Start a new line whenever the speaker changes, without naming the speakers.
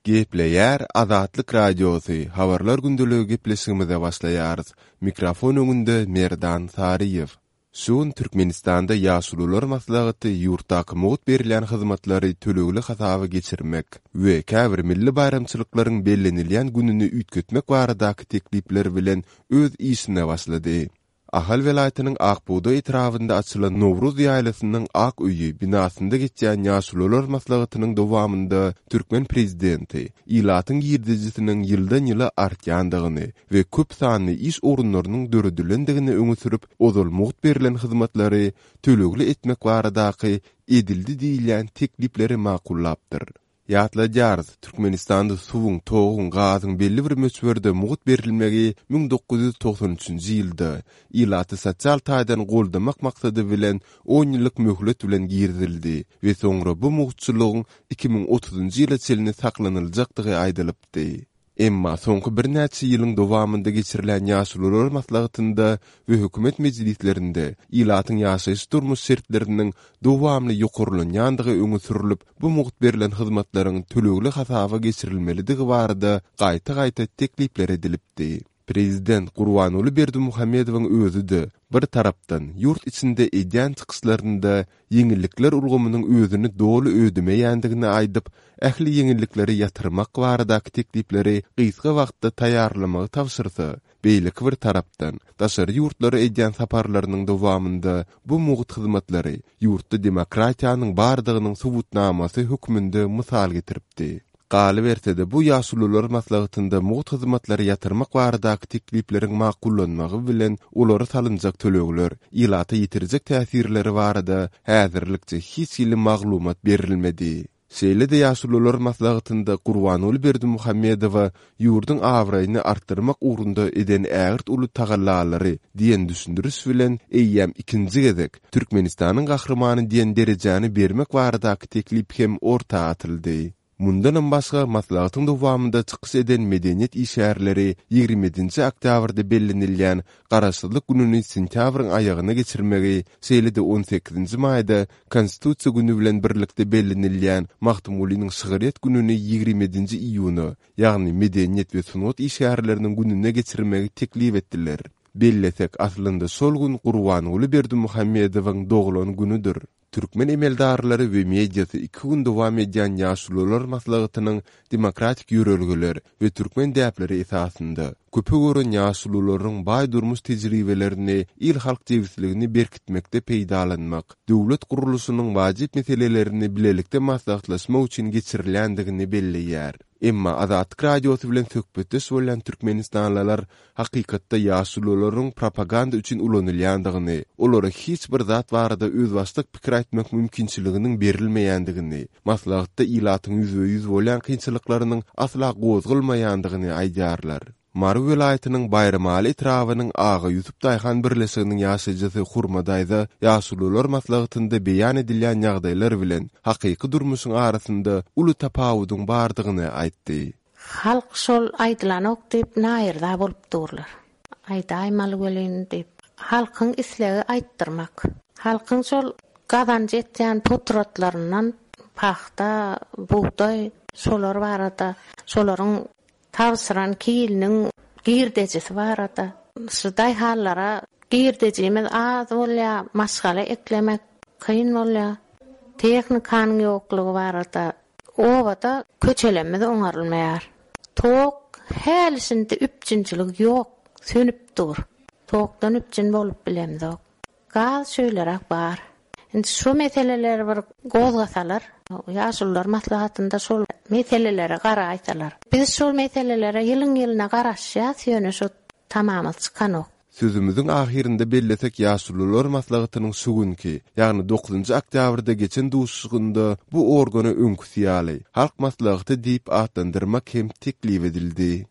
Gepleýär Azatlyk Radiosy, Habarlar gündeligi gepleşigimize başlaýarys. Mikrofon öňünde Merdan Saryýew. Şu gün Türkmenistanda Ýaşulular maslahaty ýurtdaky mugt berilýän hyzmatlary tölegli hasaba geçirmek we käbir milli baýramçylyklaryň bellenilýän gününi üýtgetmek baradaky teklipler bilen öz işine başlady. Ahal welaýatynyň Ak bugdaý etrabynda açylan Nowruz ýaýlasynyň Ak öýi binasynda geçýän Ýaşulular maslahatynyň dowamynda türkmen prezidenti ilatyň girdejisiniň ýyldan-ýyla artýandygyny we köp sanly iş orunlarynyň döredilendigini öňe sürüp, ozal mugt berlen hyzmatlary tölegli etmek baradaky edildi diýilýän teklipleri makullapdyr. Ýatladýarys, Türkmenistanda suwuň, toguň, gazyň belli bir möçberde mugt berilmegi 1993-nji ýylda, ilaty sosial taýdan goldamak maksady bilen on ýyllyk möhlet bilen girizildi we soňra bu mugtçulygyň 2030-njy ýyla çenli saklanyljakdygy aýdylypdy. Emma soňky birnäçe ýylyň dowamynda geçirilen Ýaşulular maslahatynda we hökümet mejlislerinde ilatyň ýaşaýyş-durmuş şertleriniň dowamly ýokarlanýandygy öňe sürlüp, bu mugt berlen hyzmatlaryň tölegli hasaba geçirilmelidigi barada gaýta-gaýta teklipler edilipdi. Prezident Gurbanguly Berdimuhamedowyň özi-de, bir tarapdan, ýurt içinde edýän çykyşlarynda ýeňillikler ulgamynyň özüni doly ödemeýändigini aýdyp, ähli ýeňillikleri ýatyrmak baradaky teklipleri gysga wagtda taýýarlamagy tabşyrsa, beýleki bir tarapdan, daşary ýurtlara edýän saparlarynyň dowamynda bu mugt hyzmatlary ýurtda demokratiýanyň bardygynyň subutnamasy hökmünde mysal getiripdi. Galyberse-de, bu Ýaşulular maslahatynda mugt hyzmatlary ýatyrmak baradaky teklipleriň makullanmagy bilen olara salynjak tölegler, ilata ýetirjek täsirleri barada häzirlikçe hiç hili maglumat berilmedi. Şeýle-de Ýaşulular maslahatynda Gurbanguly Berdimuhamedowa ýurduň abraýyny artdyrmak ugrunda eden ägirt uly tagallalary diýen düşündiriş bilen eýýäm ikinji gezek Türkmenistanyň Gahrymany diýen derejäni bermek baradaky teklip hem orta atyldy. Mundanam başga, maslahatyň dowamynda çykyş eden medeniýet işgärleri 27-nji oktýabrda bellenilýän Garaşsyzlyk gününi sentýabryň aýagyna geçirmegi, şeýle-de on sekizinji maýda Konstitusiýa güni bilen birlikde bellenilýän Magtymgulynyň şygryýet gününi 27-nji iýuna, ýagny Medeniýet we sungat işgärleriniň gününe geçirmegi teklip etdiler. Bellesek, aslynda şol gün Gurbanguly Berdimuhamedowyň doglan günüdir. Türkmen emeldarlary we mediasy iki gün dowam edýän Ýaşulular maslahatynyň demokratik ýörelgeler we türkmen däpleri esasynda, köpe gören ýaşulularyň baý durmuş tejribelerini il-halk jebisligini berkitmekde peýdalanmak, döwlet gurluşynyň wajyp meselelerini bilelikde maslahatlaşmak üçin geçirilýändigini belleýär. Emma Azatlyk Radiosy bilen söhbetdeş bolýan türkmenistanlylar hakykatda ýaşulularyň propaganda üçin ulanylýandygyny, olara hiç bir zat barada özbaşdak pikir aýtmak mümkinçiliginiň berilmeýändigini, maslahatda ilatyň ýüzbe-ýüz bolýan kynçylyklarynyň asla gozgalmaýandygyny aýdýarlar. Mary welaýatynyň Baýramaly etrabynyň Aga Ýusup daýhan birleşiginiň ýaşaýjysy Hurma daýza ýaşulular maslahatynda beýan edilýän ýagdaýlar bilen hakyky durmuşyň arasynda uly tapawudyň bardygyny aýtdy.
Halk şol aýdylanok diýip naýyrza bolup durlar. Aýdaýmaly welin diýip. Halkyň islegi aýtdyrmak. Halkyň şol gazanç etýän potratlaryndan pagta, bugdaý şolar barada, şolaryň tabşyran kiliniň girdejisi barada. Şu daýhanlara girdejimiz az bolýar, maşgala eklemek kyn bolýar. Tehnikanyň ýoklugy barada Obada köçelerimiz oňarylmaýar. Tok häli-şindi üpjünçilik ýok, sönüp dur. Tokdan üpjün bolup bilemzok. Gaz şeýleräk bar. Indi şu meseleleri bir gozgasalar, ýaşulular maslahatynda şol meselelere garaýsalar. Biz şol meselelere ýylyň-ýylyna garaşýas, ýöne şu tamamyz çykanok.
Sözümiziň ahyrynda bellesek Ýaşulular maslahatynyň şu günki, ýagny dokuzynjy oktýabrda geçen duşuşygynda bu organa öňküsi ýaly, Halk Maslahaty diýip atlandyrmak hem teklip edildi.